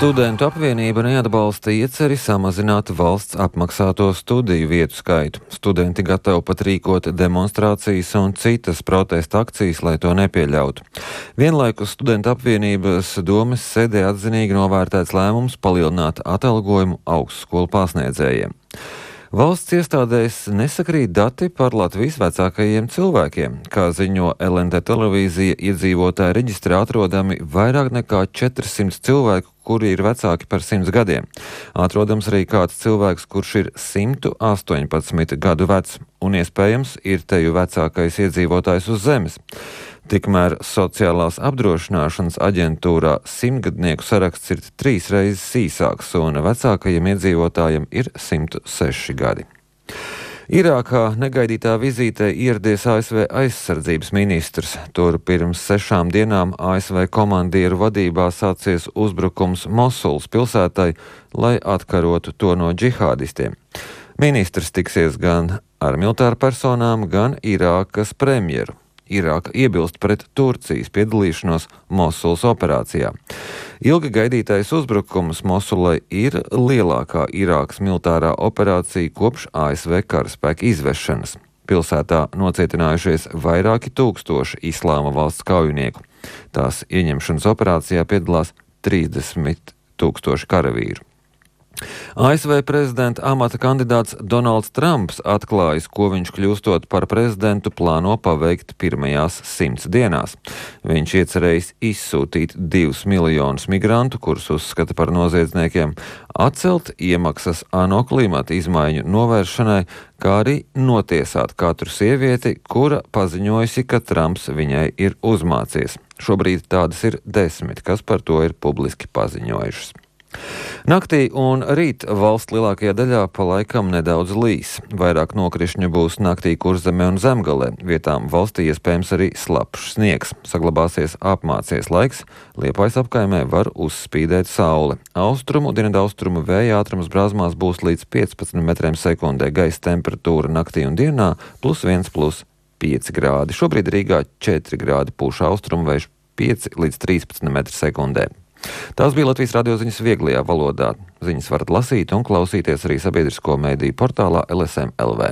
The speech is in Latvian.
Studentu apvienība neatbalsta ieceri samazināt valsts apmaksāto studiju vietu skaitu. Studenti gatavi pat rīkot demonstrācijas un citas protesta akcijas, lai to nepieļautu. Vienlaikus studentu apvienības domes sēdē atzinīgi novērtēts lēmums palielināt atalgojumu augstskolu pasniedzējiem. Valsts iestādēs nesakrīt dati par Latvijas vecākajiem cilvēkiem. Kā ziņo LNT televīzija, iedzīvotāju reģistrā atrodami vairāk nekā 400 cilvēku, kuri ir vecāki par 100 gadiem. Atrodams arī kāds cilvēks, kurš ir 118 gadu vecs, un iespējams ir teju vecākais iedzīvotājs uz zemes. Tikmēr Sociālās apdrošināšanas aģentūrā 100-gadnieku saraksts ir 3 reizes īsāks, un vecākajiem iedzīvotājiem ir 106 gadi. Irākā negaidītā vizītē ieradies ASV aizsardzības ministrs. Tur pirms 6 dienām ASV komandieru vadībā sācies uzbrukums Mosulas pilsētai, lai atkarotu to no džihādistiem. Ministrs tiksies gan ar militāru personām, gan Irākas premjeru. Irāka iebilst pret Turcijas piedalīšanos Mosulas operācijā. Ilgi gaidītais uzbrukums Mosulai ir lielākā Irākas militārā operācija kopš ASV karaspēka izvešanas. Pilsētā nocietinājušies vairāki tūkstoši Islāma valsts kaujinieku. Tās ieņemšanas operācijā piedalās 30 000 karavīru. ASV prezidenta amata kandidāts Donalds Trumps atklājis, ko viņš kļūstot par prezidentu plāno paveikt pirmajās 100 dienās. Viņš iecerējis izsūtīt 2 miljonus migrantu, kurus uzskata par noziedzniekiem, atcelt iemaksas ANO klimata izmaiņu novēršanai, kā arī notiesāt katru sievieti, kura paziņojusi, ka Trumps viņai ir uzmācies. Šobrīd tādas ir 10, kas par to ir publiski paziņojušas. Naktī un rīt valsts lielākajā daļā pa laikam nedaudz līs. Vairāk nokrišņu būs naktī Kurzemē un Zemgalē. Vietām valstī iespējams arī slapjš sniegs. Saglabāsies apmācies laiks. Liepājas apkaimē var uzspīdēt saule. Austrumu, dienvidaustrumu vēja ātrums Brāzmās būs līdz 15 metriem sekundē. Gaisa temperatūra naktī un dienā +1, +5 grādi. Šobrīd Rīgā 4 grādi pūš austrumu vējš 5 līdz 13 metri sekundē. Tās bija Latvijas radio ziņas vieglajā valodā. Ziņas varat lasīt un klausīties arī sabiedrisko mediju portālā LSM LV.